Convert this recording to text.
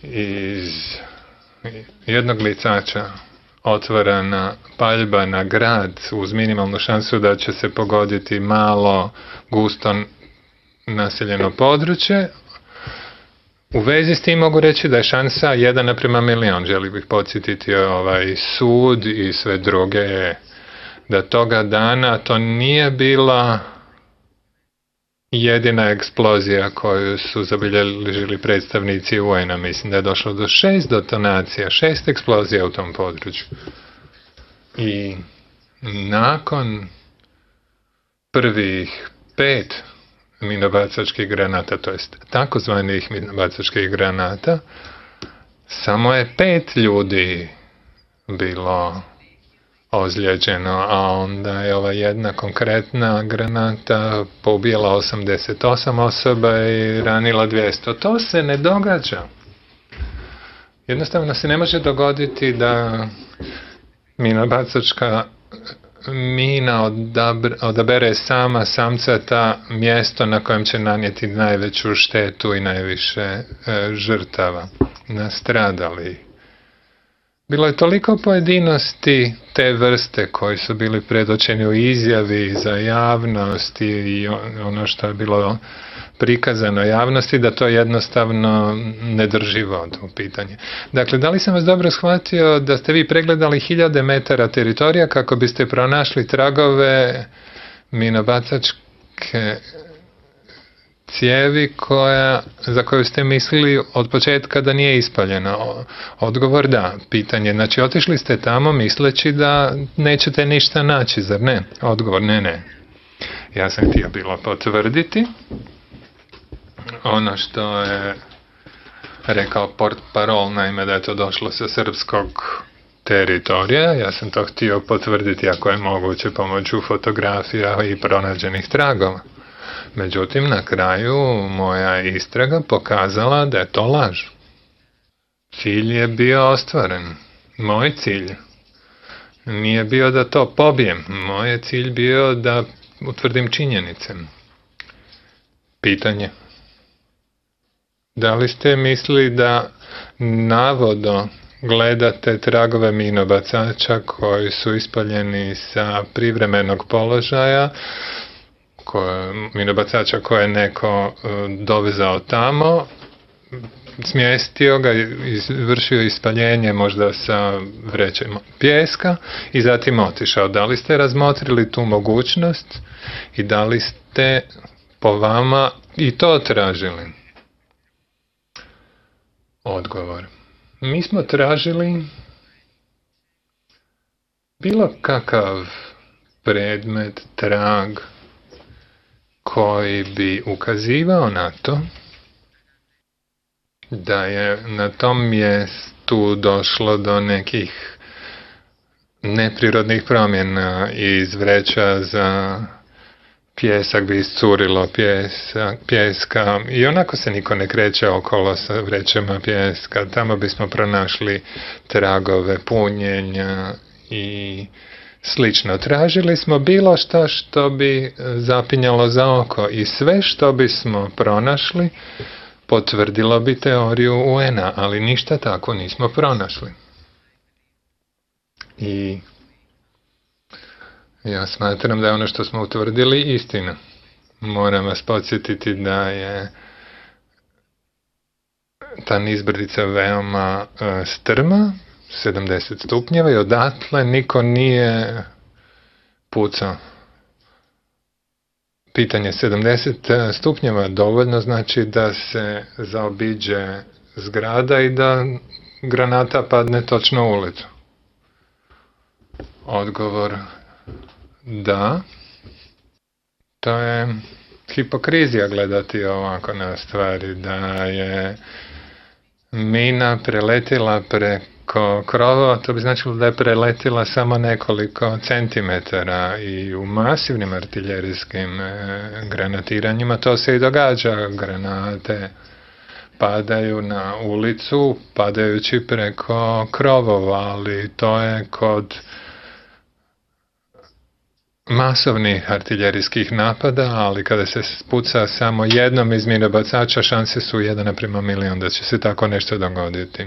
iz jednog licača otvorena paljba na grad uz minimalnu šansu da će se pogoditi malo gusto naseljeno područje. U vezi s tim mogu reći da je šansa 1:1.000.000. Želim bih podsjetiti ovaj sud i sve druge, da toga dana to nije bila jedina eksplozija koju su zabilježili predstavnici UN-a. Mislim da je došlo do 6 detonacija, 6 eksplozija u tom području. I nakon prvih 5 minobacačkih granata, to jest takozvanih minobacačkih granata, samo je 5 ljudi bilo ozlijeđeno, a onda je ova jedna konkretna granata poubijala 88 osoba i ranila 200. To se ne događa. Jednostavno se ne može dogoditi da minobacačka mina odabere sama samcata mjesto na kojem će nanijeti najveću štetu i najviše žrtava, nastradalih. Bilo je toliko pojedinosti te vrste koji su bili predočeni u izjavi za javnost i ono što je bilo prikazano javnosti, da to jednostavno ne drži vodu u pitanje. Dakle, da li sam vas dobro shvatio da ste vi pregledali 1000 metara teritorija kako biste pronašli tragove minobacačke cijevi za koju ste mislili od početka da nije ispaljena? Odgovor da. Pitanje, znači otišli ste tamo misleći da nećete ništa naći, zar ne? Odgovor, ne. Ja sam htio bilo potvrditi ono što je rekao portparol, naime da je to došlo sa srpskog teritorija. Ja sam to htio potvrditi ako je moguće pomoću fotografija i pronađenih tragova. Međutim, na kraju moja istraga pokazala da je to laž. Cilj je bio ostvaren. Moj cilj nije bio da to pobijem. Moj je cilj bio da utvrdim činjenice. Pitanje. Da li ste mislili da navodno gledate tragove minobacača koji su ispaljeni sa privremenog položaja, minobacača koje je neko dovezao tamo, smjestio ga, izvršio ispaljenje možda sa vrećem pijeska i zatim otišao? Da li ste razmotrili tu mogućnost i da li ste po vama i to tražili? Odgovor. Mi smo tražili bilo kakav predmet, trag koji bi ukazivao na to da je na tom mjestu došlo do nekih neprirodnih promjena iz vreća za pijesak bi iscurilo pijeska i onako se niko ne kreće okolo sa vrećama pijeska. Tamo bismo pronašli tragove punjenja i slično. Tražili smo bilo što bi zapinjalo za oko i sve što bismo pronašli potvrdilo bi teoriju UN-a, ali ništa tako nismo pronašli. I ja smatram da je ono što smo utvrdili istina. Moram vas podsjetiti da je ta nizbrdica veoma strma, 70 stupnjeva i odatle niko nije pucao. Pitanje 70 stupnjeva dovoljno znači da se zaobiđe zgrada i da granata padne točno u ulicu. Odgovor da. To je hipokrizija gledati ovako na stvari, da je mina preletila preko krova, to bi značilo da je preletila samo nekoliko centimetara i u masivnim artiljerijskim granatiranjima to se i događa. Granate padaju na ulicu, padajući preko krovova, ali to je kod masovnih artiljerijskih napada, ali kada se puca samo jednom iz minobacača, šanse su 1:1.000.000 da će se tako nešto dogoditi.